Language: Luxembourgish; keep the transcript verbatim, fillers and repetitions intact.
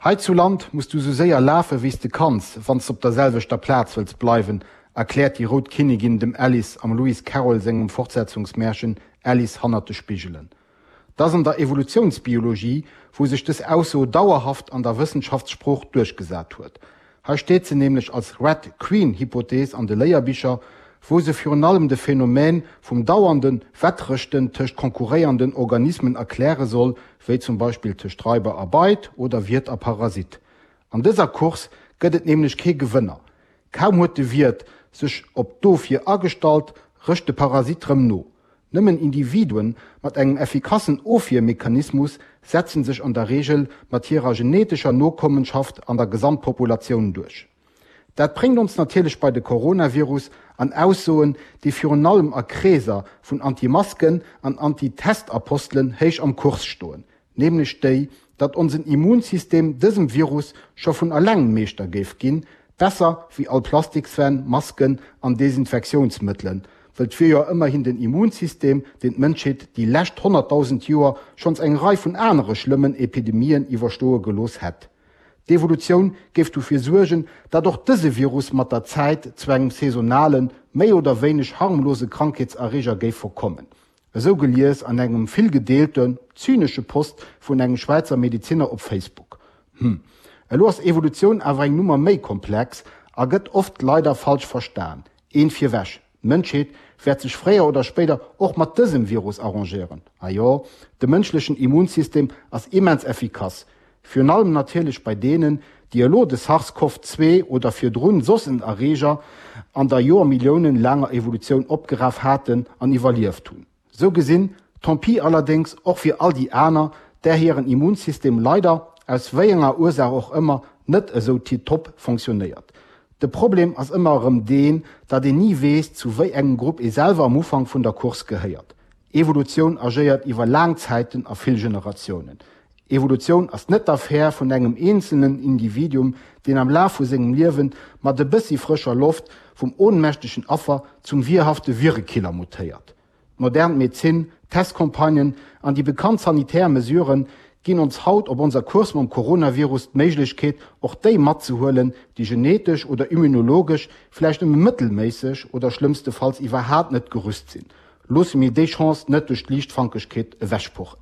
Hei zu Land muss du sou séier lafe wéi s de kanns, wann s de op der selwechter Plaz wëlls bleiwen, erkläert déi rout Kinnigin dem Alice am Lewis Carroll sengem Fortsetzungsmärchen Alice hannert de Spigelen. 't ass an der Evolutiounsbiologie, wou sech dës Ausso dauerhaft an der Wëssenschaftssprooch duerchgesat huet. Hei steet se nämlech als Red Queen-Hypothees an de Léierbicher, wou se virun allem de Phänomen vum dauernde Wettrëschten tëscht konkurréiernden Organismen erkläre soll, wéi zum Beispill tëscht Raiber a Beit oder Wiert a Parasit. An dëser Course gëtt et nämlech kee Gewënner. Kaum huet de Wiert sech op d'Ofwier agestallt, rëscht de Parasit rëm no. Nëmmen Individuen mat engem effikassen Ofwiermechanismus setzen sech an der Reegel mat hirer genetescher Nokommenschaft an der Gesamtpopulatioun duerch. Dat bréngt ons natierlech bei de Coronavirus an Aussoen, déi virun allem a Kreeser vun Anti-Masken an Anti-Test-Apostelen héich am Kurs stoen, nämlech déi, datt onsen Immunsystem dësem Virus scho vun alleng Meeschter géif ginn, besser wéi all Plastikswänn, Masken an Desinfektiounsmëttelen, wëll 't wier jo ëmmerhin den Immunsystem, deen d'Mënschheet déi lescht honnertdausend Joer schonns eng Rei vun anere schlëmmen Epidemien iwwerstoe gelooss hätt. D'Evolutioun géif dofir suergen, datt och dëse Virus mat der Zäit zu engem saisonalen, méi oder wéineg harmlose Krankheetserreeger géif verkommen. Esou gelies an engem vill gedeelten, zynesche Post vun engem Schwäizer Medezinner op Facebook. Hm, elo ass Evolutioun awer eng Nummer méi komplex a gëtt oft leider falsch verstan. Eent virwech, D'Mënschheet wäert sech fréier oder spéider och mat dësem Virus arrangéieren. A jo, de mënschlechen Immunsystem ass immens effikass. Virun allem natierlech bei deenen, déi elo de SARS-CoV zwee oder virdrun soss en Erreeger an der Joermilliounen laanger Evolutioun opgeraf haten an iwwerlieft hunn. Sou gesinn, tant pis allerdéngs och fir all déi aner, där hiren Immunsystem leider, aus wéi enger Ursaach och ëmmer, net esou tiptop fonctionnéiert. De Problem ass ëmmer erëm deen, datt een ni weess, zu wéi engem Grupp ee selwer am Ufank vun der Course gehéiert. Evolutioun agéiert iwwer laang Zäiten a vill Generatiounen. Evolutioun ass net d'Affär vun engem eenzelnen Individuum, deen am Laf vu sengem Liewe mat e bëssi frëscher Loft vum ohnmächtegen Affer zum wierhafte Virekiller mutéiert. D'modern Medezin, d'Testcampagnen an déi bekannt sanitär Mesuren ginn ons haut op onser Course mam Coronavirus d'Méiglechkeet, och déi matzehuelen, déi genetesch oder immunologesch vläicht nëmme mëttelméisseg oder schlëmmstefalls iwwerhaat net gerüst sinn. Loosse mir déi Chance net duerch Liichtfankegkeet ewechpuchen.